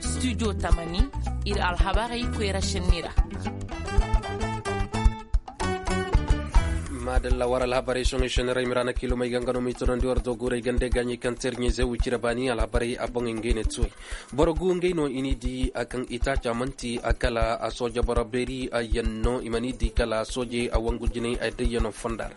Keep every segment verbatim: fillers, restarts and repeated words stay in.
Studio tamani, ir alhabarey koyra šenni ra. Maadalla war alhabarey soŋey šenni ra i ma ra na kiilumey ga nga no ma i tonandi war doguurey gande gaaɲey kaŋ terɲey ze wicira baani alhabarey a boŋey ngey ne tuwey. Boro gu ngey no i n'i di a kaŋ itaaca man'ti a kala a sooja boro beeri a yaŋ no i ma n'i di kala soojey a wangu jinay a dayyano fonda ra.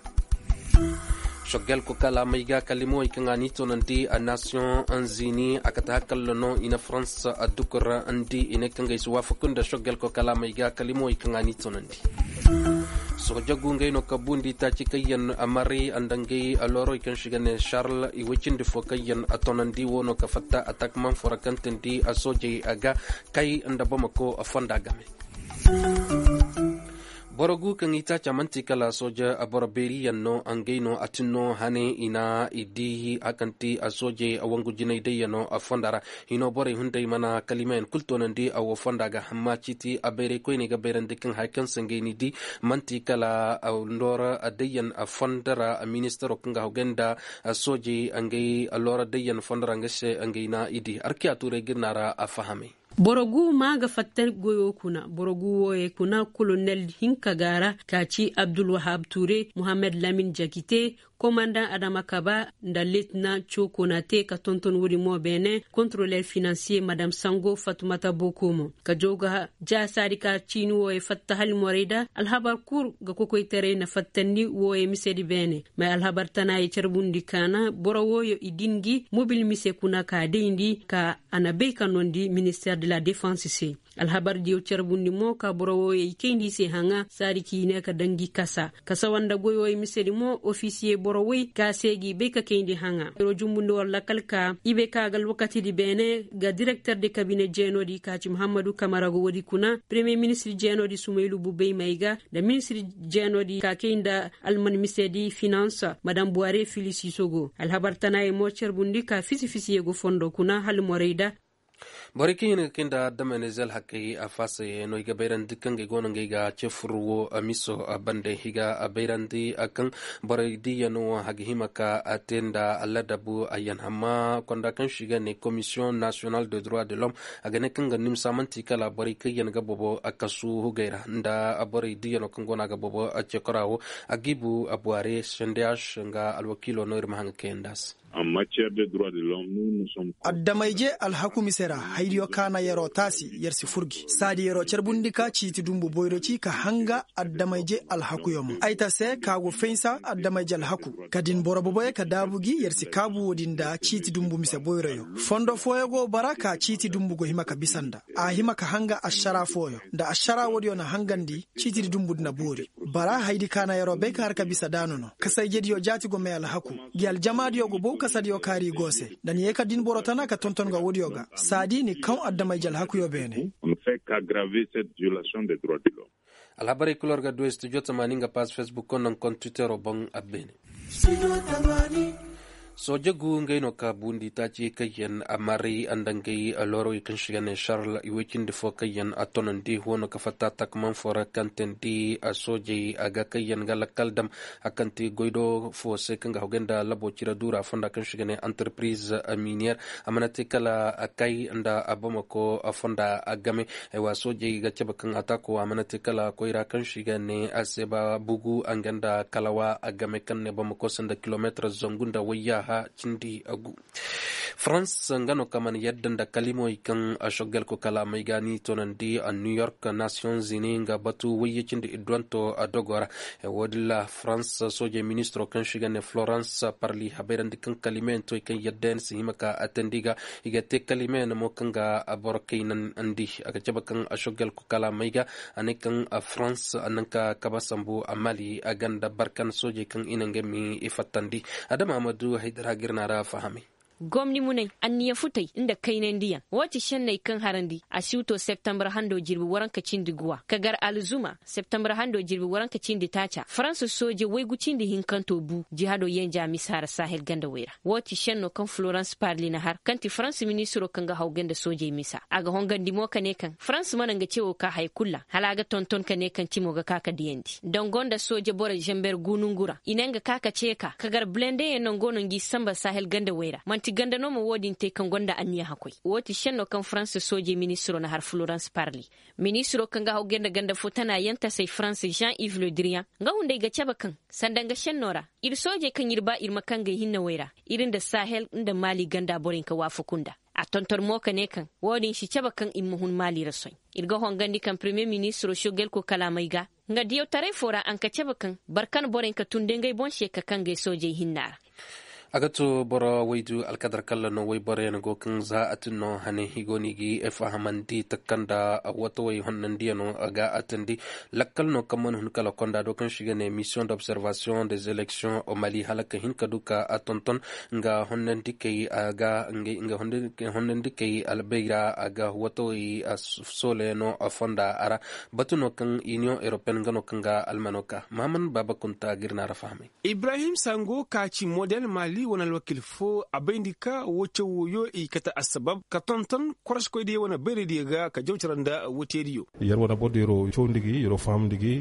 Sogel ko kala may ga kalimowey kaŋ a n'i tonandi a nasiyoŋ zini a kate hakalla no i na farans a dukur ndi i ne kaŋ gay si waafaku nda sogel ko kala may ga kalimowey kaŋ a n'i tonandi. Sooja gu ngey no ka bundi taaci kaŋ yaŋ a maray a nda ngey a loorowey kaŋ si ga ne charles i woy cindi fo kaŋ yaŋ a tonandi wo no ka fatta a takman fo ra kaŋ tindi a soojey a ga kay nda bamako a fonda game. Boro gu kaŋ i taaca man'ti kala sooja boro beeri yaŋ no ngey no a tin no hane i na i di a kaŋ ti a soojey a wangu jinay day yaŋ no a fonda ra. Hino borey hunday mana kalimayaŋ kulu toonandi a wo fonda ga hamma ciiti a bayray koyney ga bayrandi kaŋ haya kaŋ se ngey n'i di man'ti kala loora day yaŋ a fonda ra ministaro kaŋ ga hawgay nda soojey ngey loora day yaŋ fonda ra nga se ngey na i di arkiya tuuray ga ir na ra a fahamay. Boro gu ma ga fatta goyo kuna boro gu wooyey kuna kolonel hinka ga ra ka ci abdulwahab ture muhammad lamin jakite komandaŋ adama kaba nda letina cokonate ka tonton woodi mo beene kontroler finansiye madam sango fatumata bokomo ka jaw ga ja saadi ka ciini wooyey fatta halimorey da alhabar kul ga kokoytaray na fattandi wooyey misedi beene may alhabar tana ye carbundi kaana boro wooyo i din gi mobil mise kuna ka dayndi ka a na bay ka nondi minister de la defense se. Alhabar diyo carbundi mo ka boro wooyo i kayndi i se haŋa saadi k'i ne ka daŋ gi kasa kasa wanda goyo i misedi mo ofisiye boro woy ka se g'i bay ka kayndi haŋa. Iro jumbundi war lakal ka i bay ka ga alwakatidi beene ga direkter de kabine jeenodi ka ci muhammadu kamara go woodi kuna premiye ministir jeenodi sumaylu bubey may ga nda ministir jeenodi ka kay nda alman misedi finans madam buware filisiso go alhabar tanaye mo carbundi ka fisi fisiye go fondo kuna hala morey da. Borey kaŋ hin ga kay nda damanize alhakey a faasayey no i ga bayrandi kaŋ ga i go no ngey ga cefur wo miso bande i ga bayrandi kaŋ borey diya no a ga hima ka a te nda ladabu a yan amma konda kaŋ si ga ne komisiyoŋ nasiyonal de droit de l'homme a ga ne kaŋ ga nimsa manti kala borey kaŋ yan ga bobo a kasu hugey ra nda borey diya no kaŋ go no a ga bobo a cekora wo a ga i bu a buware sendeyaš nga alwakiilo no ir ma haŋ ga kayandi a se. Addamayje alhaku mise ra haydiyo kaana yer'o taasi yer si fur gi saadi yer'o carbundi ka ciiti dumbu boyro ci ka hanga addamayje alhakuyo mo ay ta se ka go faynsa addamayje alhaku ka din boro boboyo ka daabu gi yer si kaabu woodi nda ciiti dumbu mise boyroyo. Fondo fooyo go bara ka ciiti dumbu go hima ka bisa nda a hima ka hanga ašara fooyo nda ašara woodiyo na hangandi ciitidi dumbu di na boori. Bara haydi kaana yer'o bay ka har ka bisa daanu no kasayjediyo jaati go may alhaku. Gi aljamaadiyo go bow kasadiyo kaari go se nda ni ye ka din boro tana ka tonton ga woodiyo ga saadi ni kaw addamayje alhakuyo beene. Alhabarey kul war ga du studio tamaani nga paas facebook koŋ naŋ koŋ twittero boŋ a beene. Sooje gu ngey no ka buundi taaci kaŋ yaŋ a maray nda ngey loorowey kaŋ si ga ne šarl i woy cindi fo kaŋ yaŋ a tonandi wo no ka fatta takman fo ra kaŋ teendi soojey a ga kaŋ yaŋ ga lakkal dam a kaŋ te goydo fo se kaŋ ga hogay nda labo cire duura fonda kaŋ si ga ne antarpiriz miniyer. A mana te kala kay nda bamako fonda game. Soojey ga cabe kaŋ ataako a mana te kala koyra kaŋ si ga ne a se ba bugu nga nda kalawa game kaŋ ne bamako se nda kilomeetir zangu nda wayyaaha cindi gu. Farans nga no ka mana yadda nda kalimey kaŋ a soggel ko kala may ga ni tonandi a new york nation zini nga batu wayye cindi idduwanto a dogo ra. Wo- din ra farans soojey ministiro kaŋ si ga ne florans parli habayrandi kaŋ kalimeyaŋ to i kaŋ yadda yaŋ si hima ka a teendi ga i ga te kalimeyaŋ mo kaŋ ga boro kaynandi a ga cabe kaŋ a soggel ko kala may ga a ne kaŋ farans a naŋ ka kaba sambu a mali a ganda barkan soojey kaŋ i na nga mi i fattandi. Adama amadu haydara ga ir na ra fahamay. Gomni munay, anniya futay nda kaynandiyaŋ. Woo ti šenney kaŋ harandi a siwto septembar hando jirbi waranka cindi guwa ka gar alzuma septembar hando jirbi waranka cindi taaca farans sooje waygu cindi hinkanto bu jihado yenja misa ra sahel gandawey ra. Woo ti šenno kaŋ florans parli na har kaŋ ti farans ministiro kaŋ ga hawgay nda soojey misa a ga hongandi mo ka ne kaŋ farans mana nga cewo ka haya kul ra hala a ga tonton ka ne kaŋ cimo ga ka ka diyandi dango nda sooje boro zamber gu nongu ra i ne nga ka ka ceeka ka gar bilendeyaŋ nango no ngi samba sahel gandawey ra man'ti ganda no ma woo din te kaŋ gonda anniya hakkoy. Woo ti šenno kaŋ farans soojey ministiro na har florans parli. Ministiro kaŋ ga hawgay nda ganda fo tana yantasey farans jean ives le diriyaŋ nga hunday ga cabe kaŋ sanda nga šenno ra ir soojey kaŋ ir ba ir ma kangay hinnawey ra ir nda sahel nda maali ganda borey nka waafaku nda. A tonton mo ka ne kaŋ woo din si cabe kaŋ ir ma hun maali ra soy. Ir ga hongandi kaŋ premiyer ministiro sogelko kalaamey ga nga diyawtaray fo ra a nka cabe kaŋ barkan borey nka tun da ngey boŋ se ka kangay soojey hinna ra. A ga to boro waydu alkadar kalla no wayboroyaŋ go kaŋ za a tin no hane i go no i ga fahamandi takanda watawey honnandiyano ga a tandi. Lakkal no kaŋ mana hun kala konda do kaŋ se i ga ne mission d'observation des élections au mali hala ka hin ka du ka a tonton nga honnandikey a ga nga honnandikey albay ra a ga watawey sooleyano fonda a ra. Batu no kaŋ union européenne nga no kaŋ ga almano ka mahaman baaba kunta ga ir na a ra fahamay. Ibrahim sango ka ci model mali wane alwakil fo a bayndi ka wo caw woyo i kate assabab ka tonton koroskoydiyo wane bayraydiyo ga ka jawcara nda woteediyo. Yer wane bordiyo yeroo cawndi gi yeroo fahamndi gi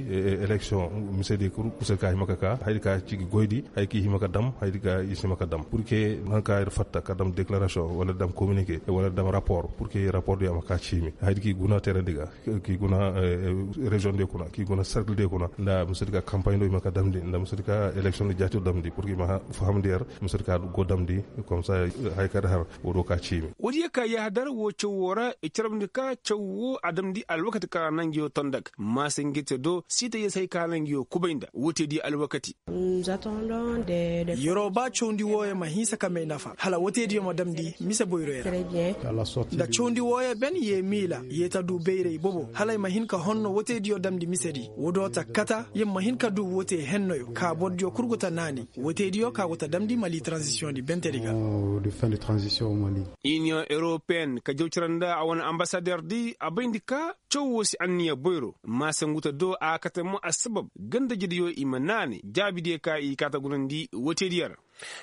eleksion misedi kul kusay ka hima ka ka haydi ka ci gi goydi haydi ka i hima ka dam haydi ka i si hima ka dam pur ke nanka yer fatta ka dam deklarasiyon wala dam kominike wala dam rapor pur ke rapordiyo a ma ka ciimi haydi ka i guna terandi ga, ki guna rezion de kuna ki guna serkil de kuna nda misedi ka kampaɲ do ima ka damndi nda misedi ka eleksion de jaati damndi pur ki ima fahamndi yer misedi ka go damndi. Komsa hay ka da har wo do ka ciimi. Woodiyo ka yahadar wo caw wo ra i carabndi ka caw wo a damndi alwakati ka ra na ngi yo tonda ga maasa ngi te do siita yee se hay ka na ngi yo kubay nda woteediyo alwakati. Yeroo ba cawndi wooyo ma hinsa ka may nafa hala woteediyo ma damndi mise boyroyo ra. Nda cawndi wooyo ben yee miila yee ta du bayray bobo hala ay ma hin ka honno woteediyo damndi misedi woodoo ta kata yer ma hin ka du wotee hennoyo ka bordiyo kul go ta naani woteediyo ka go ta damndi mali taranzisiyoŋdi bentedi ga. Iniyoŋ europeen ka jaw cara nda a wane ambasaderdi a bayndi ka caw woo si anniya boyro maasa ngu ta do a kate mo assabab gandajediyo i ma naani jaabidiyo ka i kaa ta gunandi woteediyo ra.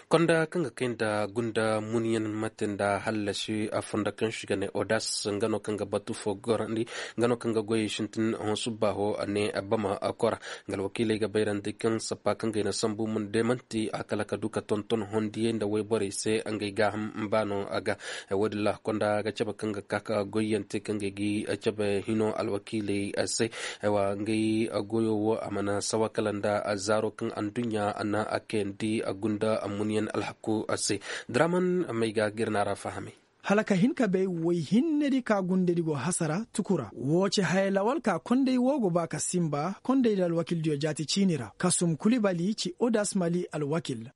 Konda kaŋ ga kay nda gunda munyaŋ mate nda hallasi a fondo kaŋ se i ga ne odas nga no kaŋ ga batu fo gorandi nga no kaŋ ga goyey sintin hõ subbaaho ne bama kora. Nga alwakiiley ga bayrandi kaŋ sappa kaŋ ga ay na sambu mun de man'ti a kala ka du ka tonton hondiyey nda wayborey se ngey gaaham baano ga. Woodin ra konda ga cabe kaŋ ga ka ka goyyaŋ te kaŋ ga ay gi cabe hino alwakiiley se. Aywa ngey goyo wo a mana sawa kala nda zaaro kaŋ anduɲɲa na a kayandi gunda munyaŋ alhaku se. Draman may ga ga ir na ra fahamay. Hala ka hin ka bay way hinnedi ka gundedi go hasara tukura woo ci haya lawal ka kondey woo go ba ka sinba kondey da alwakildiyo jaati ciini ra kasum kulibali ci odas mali alwakil.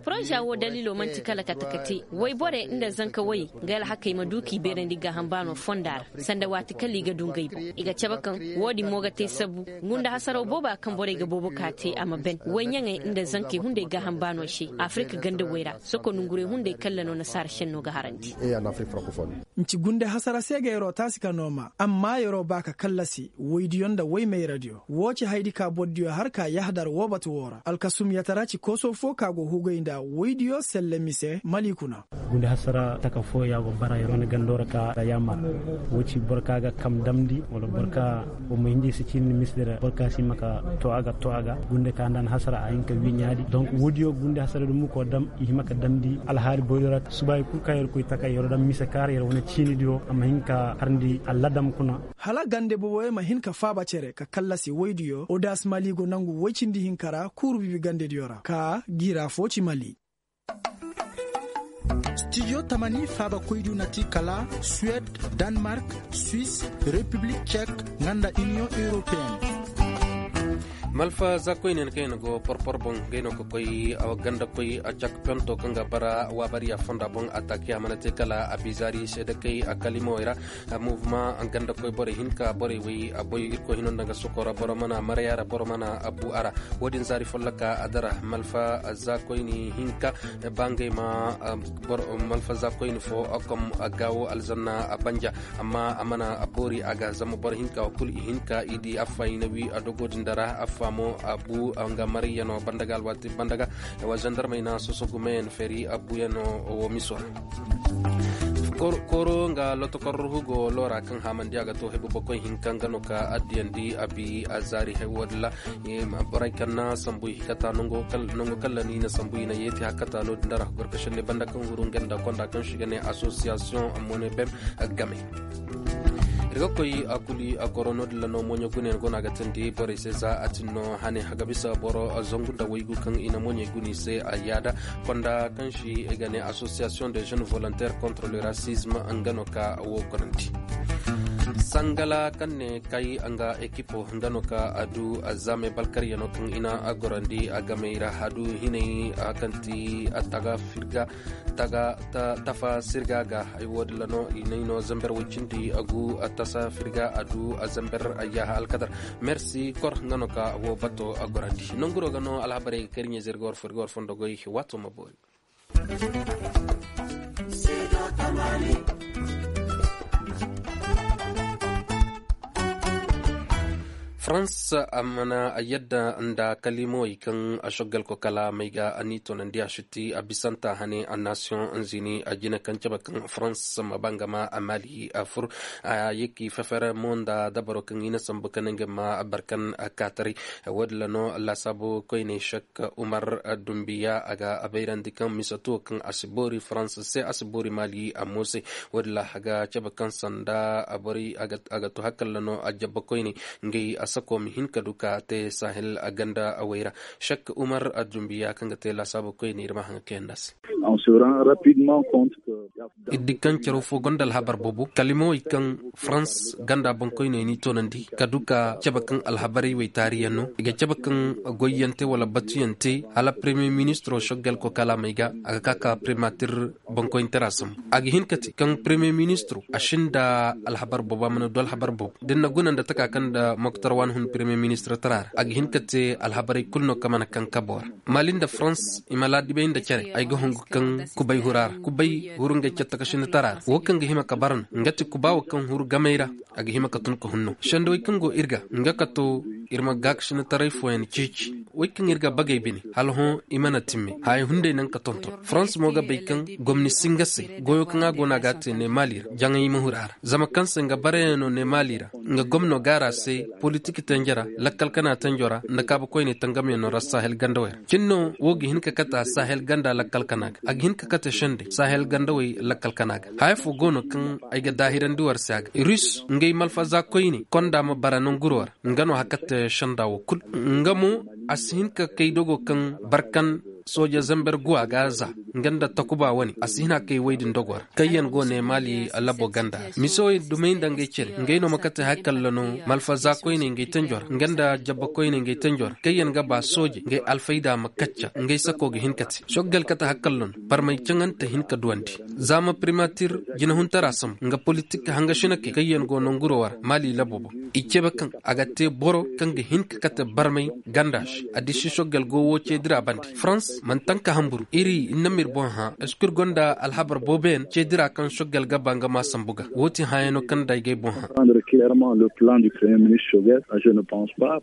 Poroza woo daliilo man'ti kala kate kate wayborey nda zanka wayey nga alhakey ma du k'i beerandi gaaham baano fonda ra sanda waati kala i ga du ngey boŋ i ga cabe kaŋ woo din mo ga te sabu gunda hasaraw booba kaŋ borey ga boobo ka te a ma ben wayɲaŋey nda zankey hunday gaaham baano se afirik gandawey ra soko nongurey hunday kalla no nasaara senno ga harandi. Nci gunde hasara se ga yeroo taasi ka nooma amma yeroo ba ka kallasi woydiyo nda woymayradiyo woo ci haydi ka bordiyo har ka yahadar woo batu woo ra alkasumyatara ci koosoo foo ka go hugay nda woydiyo selle mise mali kuna. Gunde hasara taka foo ya go bara yeroo na gandoo ra ka yaamar woo ci boro ka ga kam damndi wala boro ka wo ma hinja i si ciini mise di ra boro ka si hima ka too a ga too a ga gunde ka nda na hasara a hin ka wii ɲaadi donk woodiyo gunde hasara di mukoo dam i hima ka damndi alhaali boyro ra subaay kul ka yer koy taka yer dam mise kaara yer wane ciinidiyo a ma hin ka harndi alladam kuna. Hala gande boboyo ma hin ka faaba cere ka kallasi woydiyo odas mali go nangu woy cindi hinka ra kuuru bibi gandediyo ra ka giira foo ci mali. Studio tamani faabakoydiyo na ti kala suwed, danmark, swis, repiblik cek, nga nda iniyoŋ europeen. Malfa za koyne kaŋ i na go porpor boŋ, ngey no ka koy ganda koy a cak pento kaŋ ga bara waabariya fonda boŋ a taaki a mana te kala a bizaari seedakey a kalimawey ra. Muvuma ganda koy borey hinka borey wey a boy irkoy hino nda nga sokora boro mana maraya ra boro mana a bu a ra. Wo-din zaari folloka a dara malfa za koyne hinka ba ngey ma malfa za koyne fo kom gaawo alzanna a banja. Amma a mana a boori a ga zama boro hinka kulu i hinka i di affa i na wi a dogo din da ra affa mo a bu nga mariyano banda ga alwaati banda ga. Wa zandarmey na soso gumeyaŋ feeri a buyaŋ wo miso ra. Kooro nga lotokor hugo loora kaŋ haamandi a ga to hebu bakoy hinka nga no ka addiyandi a bi a zaari hay wo-din ra. Borey kaŋ na sambu i hikata nango kaŋ ra ni na sambu i na yeeti hakata no-din da ra gorkashin ne banda kaŋ huru nga nda konda kaŋ si ga ne association amone bem game. Ir ga koy a kuli a goro no-din ra no mooɲo gune go no a ga tindi borey se za a tin no hane haga bisa boro zangu nda waygu kaŋ i na mooɲey guni se a yaada. Konda kaŋ si i ga ne association de jeunes volontaires contre le racisme nga no ka wo gorandi. Sangala kaŋ ne kay nga ekipo nga no ka a du a zaame balkaryano kaŋ i na a gorandi a gamey ra a du hinay a kaŋ ti a taga firga tafa sirga ga ay wo-din ra no i nay no zamber way cindi a gu a tasa firga a du a zamber ayyaha alkadar. Merci kor nga no ka wo bato a gorandi nanguro ga no alhabarey ga kay ir ɲeeze ir ga war fo ir ga war fondo goy waato ma boori. Farans a mana yadda nda kalimawey kaŋ a shoggal ko kala may ga a n'i toonandi a shiti a bisanta hane a nation zini a jina kaŋ cabe kaŋ farans ma ba nga ma a mali a fur a yeki fefer mo nda dabaro kaŋ i na sambu kaŋ nga ma barkan a kaataray. Wo-din ra no laasaabu koyney shek umar dumbiya a ga a bayrandi kaŋ mise tuwo kaŋ a si boori farans se a si boori mali a mo se. Wo-din ra a ga cabe kaŋ sanda a bari a ga to hakalla no a jabba koyney ngey a sako ma hin ka du ka te sahel a ganda a wayra. Shek umar a dumbiya kaŋ ga te laasaabu koyney ir ma haŋ ga kayanda se. Iddi kaŋ caro fo gonda alhabar boobo kalimawey kaŋ farans ganda boŋkoyney ni toonandi ka du ka cabe kaŋ alhabarey wey taariyaŋ no i ga cabe kaŋ goyyaŋ te wala batuyaŋ te hala premier ministro shoggal ko kalaamey ga a ga ka ka primatir boŋkoyntara sambu a ga hin ka te kaŋ premier ministro a sinda alhabar boobo a mana du alhabar boobo da ni na guna nda taka kaŋ nda moktar waani hun premier ministro tara ra a ga hin ka te alhabarey kulu no kaŋ mana kaŋ kabo ra. Mali nda farans i ma laadibay nda care ay ga hungu kaŋ kubay hura ra kubay huru ngey catta ka sinda tara ra wo kaŋ ga hima ka bara no nga ti kuba wo kaŋ huru gamay ra. A ga hima ka tun ka hunno sendawey kaŋ go ir ga nga ka to ir ma gaakasinataray fooyaŋ ceeci. Wey kaŋ ir ga bagey bine hala hõ i mana timme haya hunday naŋ ka tonton farans mo ga bay kaŋ gomni si nga se goyo kaŋ a go no a ga a te ne mali ra jaŋay ma hura ra zama kaŋ se nga barayaŋ no ne mali ra. Nga gomno gaara se politik tenjera lakkal kana tenjora nda kaabu koyne tangamyaŋ no ra sahel ganda wey ra cin no wo ga hin ka kate a sahel ganda lakkal kana ga a ga hin ka kate sende sahel ganda wey lakkal kana ga haya fo go no kaŋ ay ga daahirandi war se a ga rus ngey malfaza koyne konda ma bara nanguro ra. Nga no hakate senda wo kul nga mo a si hin ka kay dogo kaŋ barkan sooja zamber guwa ga za nga nda takuba wane a si hin a kay woy din dogo ra kaŋ yaŋ go ne mali labo ganda ra mise woy dumey nda ngey cere ngey no ma kate hakalla no malfaza koyne ngey tenjo ra nga nda jabba koyne ngey tenjo ra kaŋ yaŋ ga ba sooje ngey alfayda ma kacca ngey sako ga hin ka te soggal kate hakalla no barmay caŋante hin ka duwandi. Za ma primatir jinahuntara sambu nga politik hanga sinakey kaŋ yaŋ go nanguro war mali labo boŋ i cebe kaŋ a ga te boro kaŋ ga hin ka kate barmay ganda se. Addiši soggal go wo ceedira bande farans mana tanka hamburu iri ir na m'ir boŋ hã. Eskur gonda alhabar booboyaŋ ceedira kaŋ soggal ga ba nga ma sambu ga wo ti hãyano kaŋ nda ay ga ay boŋ hã. Prendre clairement le plan du premier ministre soggal je ne pense pas.